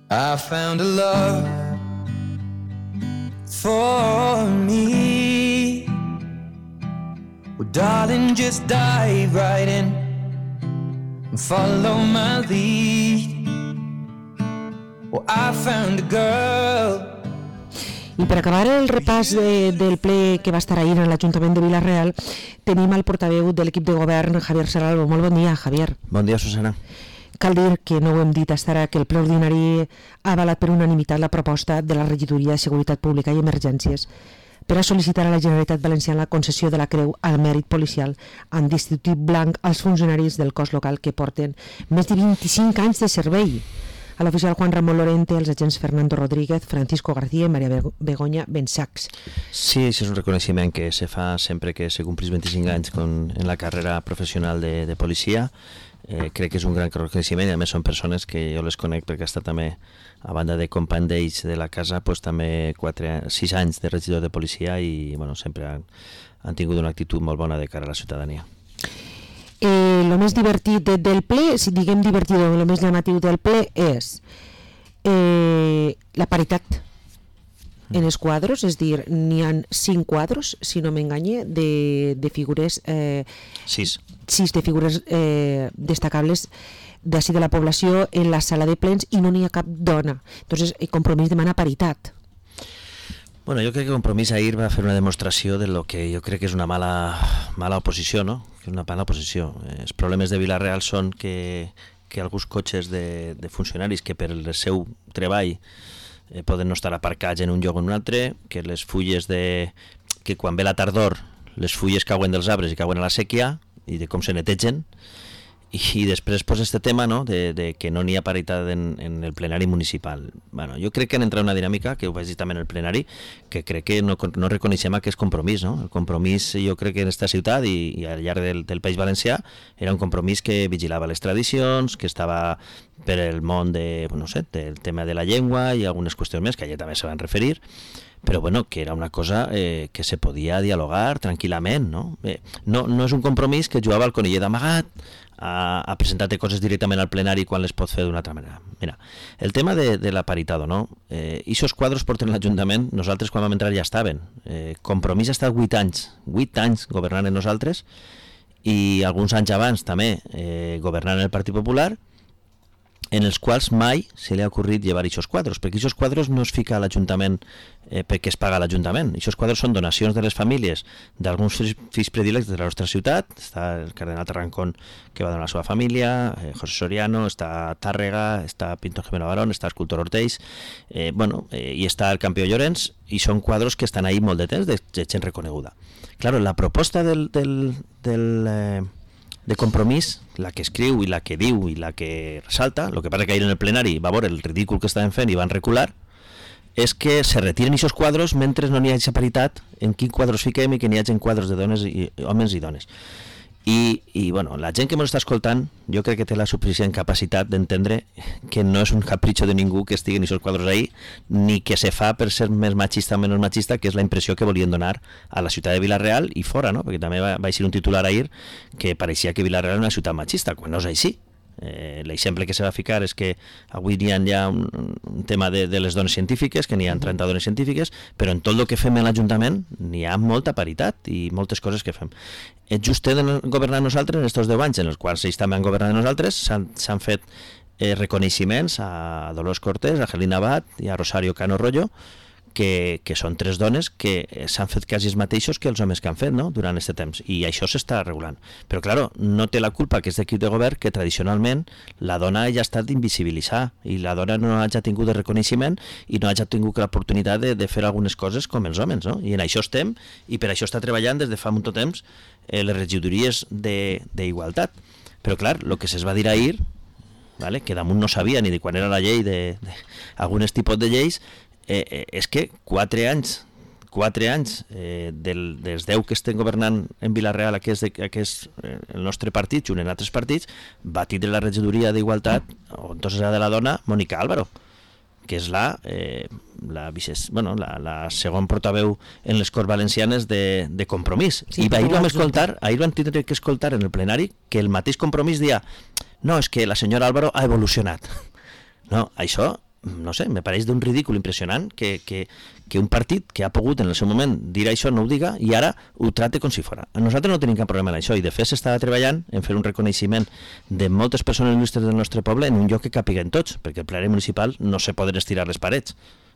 I found a love for me. Well, darling, just dive right in and follow my lead. Well, I found a girl. I per acabar el repàs del ple que va estar ahir en l'Ajuntament de Vila-real, tenim el portaveu de l'equip de govern, Javier Serralvo. Molt bon dia, Javier. Bon dia, Susana. Cal dir que no ho hem dit hasta ara, que el ple ordinari ha avalat per unanimitat la proposta de la Regidoria de Seguretat Pública i Emergències per a sol·licitar a la Generalitat Valenciana la concessió de la Creu al Mèrit Policial amb distintiu blanc als funcionaris del cos local que porten més de 25 anys de servei. A l'oficial Juan Ramón Lorente, els agents Fernando Rodríguez, Francisco García i Maria Begoña Bensacs. Sí, això és un reconeixement que se fa sempre que se complís 25 anys en la carrera professional de policia. Crec que és un gran reconeixement i a més són persones que jo les conec perquè ha estat també, a banda de company d'ells de la casa, pues, també 6 anys de regidor de policia i bueno, sempre han tingut una actitud molt bona de cara a la ciutadania. El més divertit del ple, si diguem divertit o el més llamatiu del ple és la paritat en els quadros, és dir, n'hi ha 5 quadros, si no m'enganye, de figures 6 de figures destacables d'ací de la població en la sala de plens i no n'hi ha cap dona. Entonces, el Compromís demana paritat. Bueno, jo crec que Compromís ahir va fer una demostració de lo que jo crec que és una mala oposició, no? Que és una mala oposició. Els problemes de Vila-real són que alguns cotxes de funcionaris que per el seu treball poden no estar aparcats en un lloc o en un altre, que les fulles que quan ve la tardor les fulles cauen dels arbres i cauen a la sèquia i de com se netegen. I després pues, este tema, no? de que no n'hi ha paritat en el plenari municipal. Bueno, jo crec que han entrat una dinàmica, que ho vaig dir també en el plenari, que crec que no reconeixem aquest compromís. No? El compromís, jo crec que en esta ciutat i al llarg del País Valencià era un compromís que vigilava les tradicions, que estava per el món del tema de la llengua i algunes qüestions més, que allà també se van referir, però bueno, que era una cosa que se podia dialogar tranquil·lament. No? No és un compromís que jugava al conillet d'amagat, a presentar-te coses directament al plenari quan les pot fer d'una altra manera. Mira, el tema de la paritat, no? Ixos quadros porten l'Ajuntament, nosaltres quan vam entrar ja estaven. Compromís ha estat 8 anys governant en nosaltres i alguns anys abans també governant el Partit Popular, en els quals mai se li ha ocorrit llevar aquests quadros, perquè aquests quadros no es fica a l'Ajuntament perquè es paga a l'Ajuntament. Aquests quadros són donacions de les famílies d'alguns fills predilectes de la nostra ciutat. Està el cardenal Tarrancón, que va donar a la seva família, José Soriano, està Tàrrega, està Pintor Jimeno Barón, està Escultor Ortells, i està el campió Llorenç, i són quadros que estan ahí molt de temps, de gent reconeguda. Claro, la proposta de Compromís, la que escriu i la que diu i la que ressalta, el que passa que ahir en el plenari va veure el ridícul que estaven fent i van recular, és que se retiren aquests quadros mentre no n'hi hagi paritat en quins quadros fiquem i que n'hi hagi quadros de dones i homes i dones. I bueno, la gent que ens està escoltant jo crec que té la suficient capacitat d'entendre que no és un capritxo de ningú que estiguen aquests quadros ahí, ni que se fa per ser més machista o menys machista, que és la impressió que volien donar a la ciutat de Vila-real i fora, no? Perquè també va ser un titular ahir que pareixia que Vila-real era una ciutat machista, quan no és així. L'exemple que se va ficar és que avui hi ha ja un tema de les dones científiques, que n'hi ha 30 dones científiques, però en tot el que fem a l'Ajuntament n'hi ha molta paritat i moltes coses que fem. Just de governar nosaltres en aquests 10 anys, en els quals ells també han governat nosaltres, s'han fet reconeixements a Dolors Cortés, a Gelina Abad i a Rosario Cano Rollo, que són 3 dones que s'han fet quasi els mateixos que els homes que han fet, no? Durant aquest temps, i això s'està regulant. Però claro, no té la culpa aquest equip de govern que tradicionalment la dona ja ha estat invisibilitzada i la dona no hagi tingut de reconeixement i no hagi tingut l'oportunitat de fer algunes coses com els homes, no? I en això estem, i per això està treballant des de fa molt temps les regidories d'igualtat. Però clar, el que se'ls va dir ahir, que damunt no sabia ni de quan era la llei d'alguns tipus de lleis, és que 4 anys dels 10 que estem governant en Vila-real, el nostre partit, junt en altres partits, va tindre la regidoria d'Igualtat, o entonces era de la dona, Mònica Álvaro, que és la segon portaveu en les Corts Valencianes de Compromís. Sí, i ahir van tindre que escoltar en el plenari que el mateix Compromís deia no, és que la senyora Álvaro ha evolucionat. No, això no sé, me pareix d'un ridícul impressionant que un partit que ha pogut en el seu moment dir això no ho diga i ara ho trate com si fora. Nosaltres no tenim cap problema en això i de fet s'estava treballant en fer un reconeixement de moltes persones il·lustres del nostre poble en un lloc que capiguen tots, perquè el plenari municipal no se poden estirar les parets.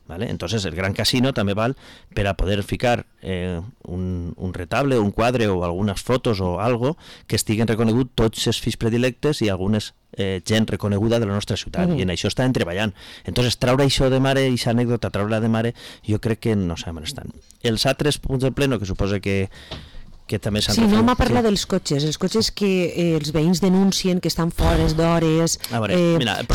¿Vale? Entonces el Gran Casino també val per a poder ficar un retable, un quadre o algunes fotos o algo que estiguen reconegut tots els fills predilectes i algunes gent reconeguda de la nostra ciutat i en això estan treballant. Entonces traure això de mare, aquesta anècdota, traure-la de mare, jo crec que no sabem on estan. Els altres punts del pleno que suposa que també s'han no m'ha parlat dels cotxes, els cotxes que els veïns denuncien que estan fora d'hores. A veure, mira, el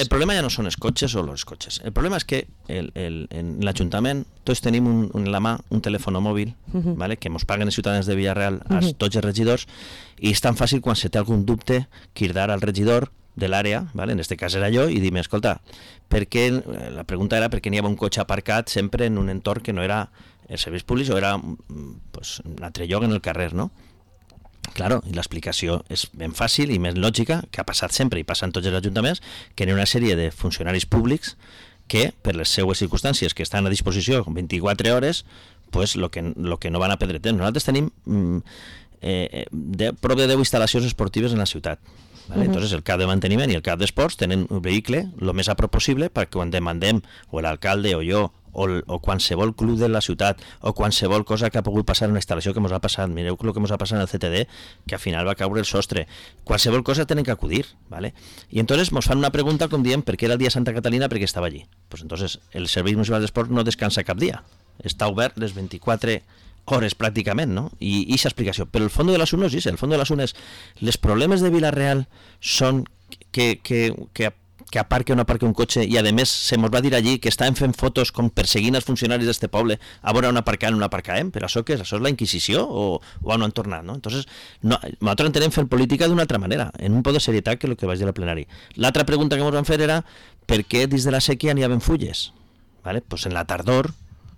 problema ja no són els cotxes o els cotxes. El problema és que en l'Ajuntament tots tenim en la mà un telèfon mòbil, ¿vale? Que ens paguen els ciutadans de Villarreal a tots els regidors i és tan fàcil quan se té algun dubte cridar al regidor de l'àrea, ¿vale? En este cas era jo, i dir-me, escolta, la pregunta era per què n'hi havia un cotxe aparcat sempre en un entorn que no era els serveis públics o era pues, un altre lloc en el carrer, no? Claro, i l'explicació és ben fàcil i més lògica, que ha passat sempre i passa en tots els ajuntaments, que hi ha una sèrie de funcionaris públics que, per les seues circumstàncies que estan a disposició 24 hores, pues, lo que no van a perdre temps. Nosaltres tenim prop de 10 instal·lacions esportives en la ciutat. ¿Vale? Entonces el cap de manteniment i el cap d'esports tenen un vehicle el més a prop possible perquè quan demandem o l'alcalde o jo o qualsevol club de la ciutat o qualsevol cosa que ha pogut passar en una instal·lació que ens ha passat, mireu el que ens ha passat en el CTD, que al final va caure el sostre, qualsevol cosa tenen que acudir, ¿vale? I entonces ens fan una pregunta com diem per què era el dia de Santa Catalina, perquè estava allí. Pues entonces el Servei Municipal d'Esport no descansa cap dia, està obert les 24 hores pràcticament, no? I aquesta explicació. Però el fons de l'assumpte és el fons de l'assumpte és els problemes de Vila-real són que aparque o no aparque un cotxe i a més se mos va dir allí que estaven fent fotos com perseguint els funcionaris d'este poble a veure on aparcàvem o no aparcàvem, però això què és? Això és la Inquisició o on han tornat, no? Entonces, nosaltres entenem fer política d'una altra manera, en un pot de serietat que el que vaig dir al plenari. L'altra pregunta que ens van fer era per què dins de la sèquia n'hi havia fulles? ¿Vale? Pues en la tardor,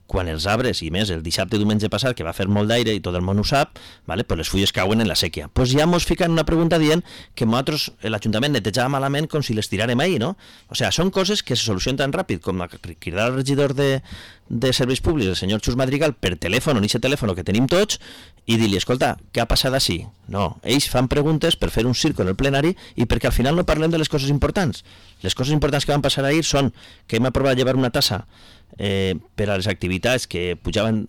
quan els arbres, i més el dissabte i diumenge passat, que va fer molt d'aire i tot el món ho sap, ¿vale? Pues les fulles cauen en la sèquia. Pues ja mos fican una pregunta dient que nosaltres, l'Ajuntament netejava malament com si les tiràrem ahir, no? O sigui, són coses que se solucionen tan ràpid com cridar al regidor de Serveis Públics, el senyor Xus Madrigal, per telèfon, en aquest telèfon que tenim tots, i dir-li, escolta, què ha passat així? No, ells fan preguntes per fer un circo en el plenari i perquè al final no parlem de les coses importants. Les coses importants que van passar ahir són que hem aprovat llevar una tassa per a les activitats que pujaven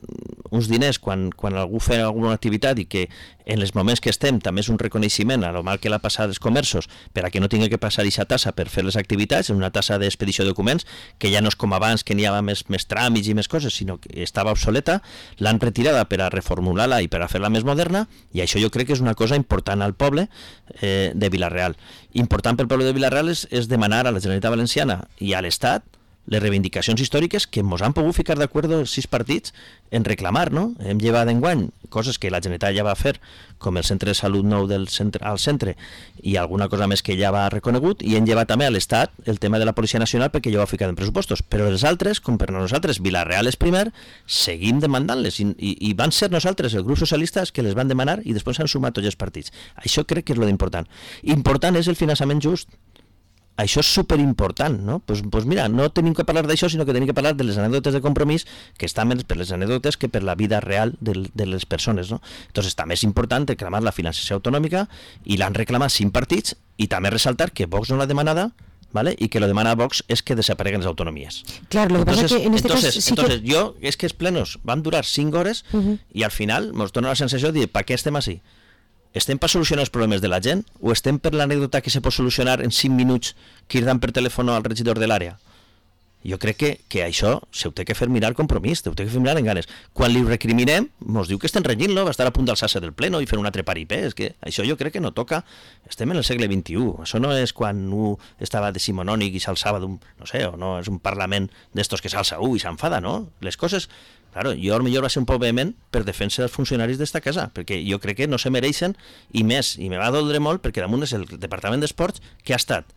uns diners quan algú feia alguna activitat i que en els moments que estem també és un reconeixement a lo mal que l'ha passat als comerços per a que no tingui que passar aquesta tassa per fer les activitats, una tassa d'expedició de documents que ja no és com abans que n'hi havia més tràmits i més coses, sinó que estava obsoleta, l'han retirada per a reformular-la i per a fer-la més moderna i això jo crec que és una cosa important al poble de Vila-real. Important pel poble de Vila-real és demanar a la Generalitat Valenciana i a l'Estat les reivindicacions històriques que ens han pogut ficar d'acord els 6 partits en reclamar, no? Hem llevat enguany coses que la Generalitat ja va fer, com el centre de salut nou al centre i alguna cosa més que ja va reconegut, i hem llevat també a l'Estat el tema de la Policia Nacional perquè ja ho ha ficat en pressupostos. Però els altres, com per nosaltres, Vila-real és primer, seguim demandant-les i van ser nosaltres, el grup socialista, que les van demanar i després s'han sumat tots els partits. Això crec que és lo d'important. Important és el finançament just. Això és superimportant, no? Pues mira, no tenim que parlar d'això, sinó que tenim que parlar de les anècdotes de compromís, que estan més per les anècdotes que per la vida real de les persones, no? Entonces també és important reclamar la financiació autonòmica i l'han reclamat 5 partits i també ressaltar que Vox no l'ha demanada, ¿vale? Y que lo demana Vox es que desapareguen las autonomías. Claro, lo que pasa es que en este caso sí entonces yo, es que els plenos van durar 5 hores i al final ens dona la sensació de dir, per què estem així? Estem per solucionar els problemes de la gent o estem per l'anècdota que se pot solucionar en 5 minuts cridant per telèfon al regidor de l'àrea? Jo crec que això se ho té que fer mirar compromís, ho té que fer mirar en ganes. Quan li recriminem, ens diu que estem renyint-lo, va estar a punt d'alçar-se del pleno i fer un altre paripé. És que això jo crec que no toca. Estem en el segle XXI. Això no és quan un estava decimonònic i s'alçava d'un, no sé, o no és un parlament d'estos que s'alça i s'enfada, no? Les coses... Claro, jo potser va ser un poc vehement per defensa dels funcionaris d'esta casa, perquè jo crec que no se mereixen, i més, i me va doldre molt, perquè damunt és el Departament d'Esports que ha estat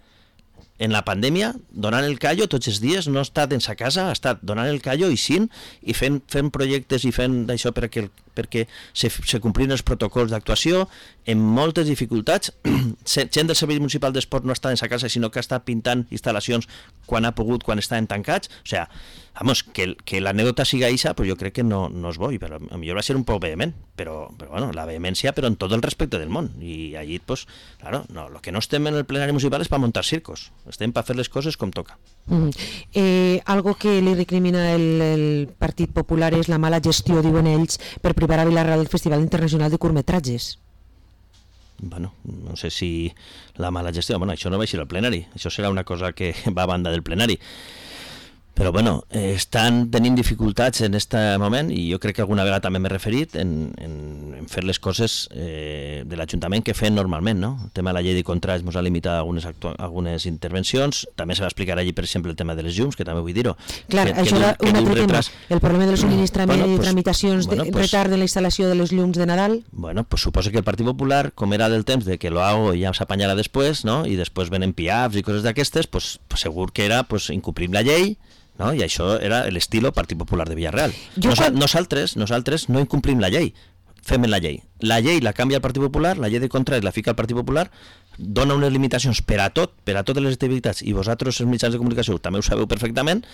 en la pandèmia donant el callo tots els dies, no ha estat en sa casa, ha estat donant el callo i fent projectes i fent d'això per perquè se complien els protocols d'actuació, amb moltes dificultats. Gent del Servei Municipal d'Esport no està en sa casa, sinó que està pintant instal·lacions quan ha pogut, quan estaven tancats. O sea, vamos, que l'anècdota siga eixa, pues jo crec que no és bo, però a millor va ser un poc vehement, però bueno, la vehemència, però en tot el respecte del món. I allí, pues, claro, no, lo que no estem en el plenari municipal és per muntar circos, estem per fer les coses com toca. Algo que li recrimina el Partit Popular és la mala gestió, diuen ells, per privar a Vila-real del Festival Internacional de Curtmetratges. Bueno, no sé si la mala gestió, bueno, això no va eixir al plenari, això serà una cosa que va a banda del plenari. Però bueno, estan tenint dificultats en aquest moment i jo crec que alguna vegada també m'he referit en fer les coses de l'Ajuntament que fem normalment, no? El tema de la llei de contrats ens ha limitat algunes intervencions, també se va explicar allí, per exemple, el tema de les llums, que també vull dir-ho. Clar, això era un altre tema, el problema del subministrament i tramitacions de retard de la instal·lació de les llums de Nadal. Bueno, pues suposo que el Partit Popular, com era del temps de que lo hago i ja s'apanyarà després, no? I després venen piafs i coses d'aquestes, pues segur que era incomplim la llei, no? I això era l'estilo Partit Popular de Villarreal. Nosaltres no incomplim la llei, fem la llei. La llei la canvia el Partit Popular, la llei de contrats la fica el Partit Popular, dona unes limitacions per a totes les activitats, i vosaltres, els mitjans de comunicació, també ho sabeu perfectament,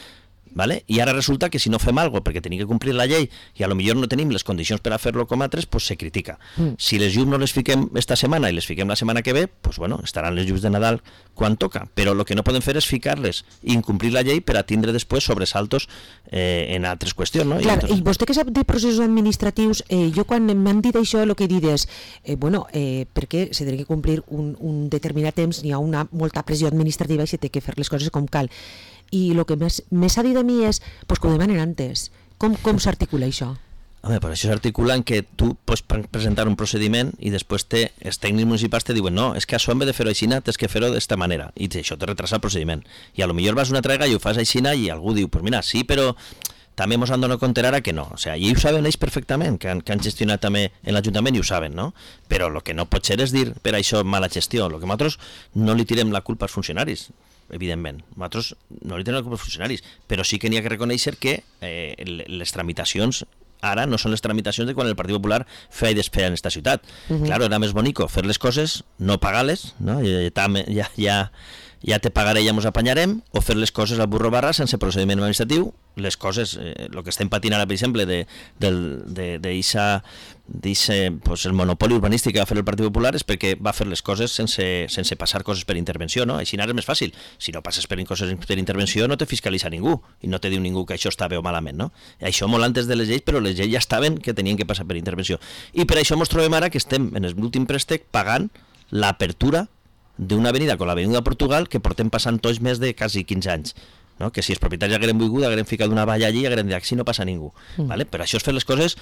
¿vale? I ara resulta que si no fem alguna cosa perquè tenim que complir la llei i a lo millor no tenim les condicions per a fer-lo com altres, pues se critica. Si les llums no les fiquem esta setmana i les fiquem la setmana que ve, pues bueno, estaran les llums de Nadal quan toca, però el que no podem fer és ficar-les i incomplir la llei per a tindre després sobresaltos en altres qüestions, no? Clar, i vostè que sap de processos administratius, jo quan m'han dit això, el que he dit és, perquè se té que complir un determinat temps, n'hi ha molta pressió administrativa i se té que fer les coses com cal. I el que més s'ha dit a mi és que ho demanen antes. Com s'articula això? Home, per això s'articula en que tu pots presentar un procediment i després els tècnics municipals te diuen no, és que això en vez de fer-ho així, tens que fer-ho d'esta manera, i això te retrasa el procediment. I a lo millor vas una altra vegada i ho fas així i algú diu, pues mira, sí, però també ens han donat compte ara que no. O sea, i ho saben ells perfectament, que han gestionat també en l'Ajuntament i ho saben, no? Però el que no pot ser és dir per això mala gestió. El que nosaltres no li tirem la culpa als funcionaris, evidentment. Nosaltres no li tenim la culpa als funcionaris, però sí que n'hi ha que reconèixer que les tramitacions ara no són les tramitacions de quan el Partit Popular feia i desfeia en esta ciutat. Claro, era més bonico fer les coses, no pagar-les, no? Ja te pagaré i ja ens apanyarem, o fer les coses al burro barra sense procediment administratiu. Les coses, el que estem patint ara, per exemple, el monopoli urbanístic que va fer el Partit Popular és perquè va fer les coses sense passar coses per intervenció, no? Així ara és més fàcil. Si no passes per coses per intervenció no te fiscalitza ningú i no te diu ningú que això està bé o malament, no? Això molt antes de les lleis, però les lleis ja estaven que tenien que passar per intervenció. I per això ens trobem ara que estem en l'últim préstec pagant l'apertura d'una avenida com l'avenida Portugal que portem passant tots més de quasi 15 anys, no? Que si els propietaris hagueren volgut hagueren ficat una valla allí i hagueren dit si no passa ningú, ¿vale? Però això és fer les coses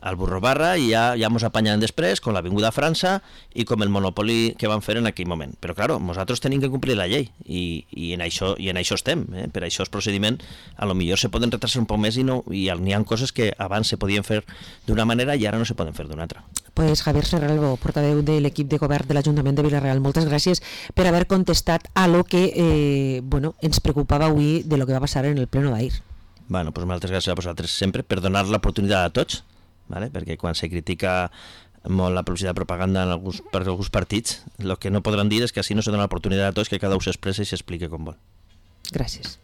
al burro barra i ja ens apanyarem després com l'avinguda França i com el monopoli que van fer en aquell moment. Però claro, nosaltres tenim que complir la llei i en això estem, per això els procediments a lo millor se poden retrasar un poc més i n'hi ha coses que abans se podien fer d'una manera i ara no se poden fer d'una altra. Pues Javier Serralvo, portaveu de l'equip de govern de l'Ajuntament de Vila-real, moltes gràcies per haver contestat a lo que ens preocupava avui de lo que va passar en el pleno d'ahir. Bueno, pues moltes gràcies a vosaltres sempre per donar l'oportunitat a tots, ¿vale? Perquè quan se critica molt la publicitat de propaganda per alguns partits, el que no podran dir és que així no se dona l'oportunitat a tots que cada un s'expressa i s'explique com vol. Gràcies.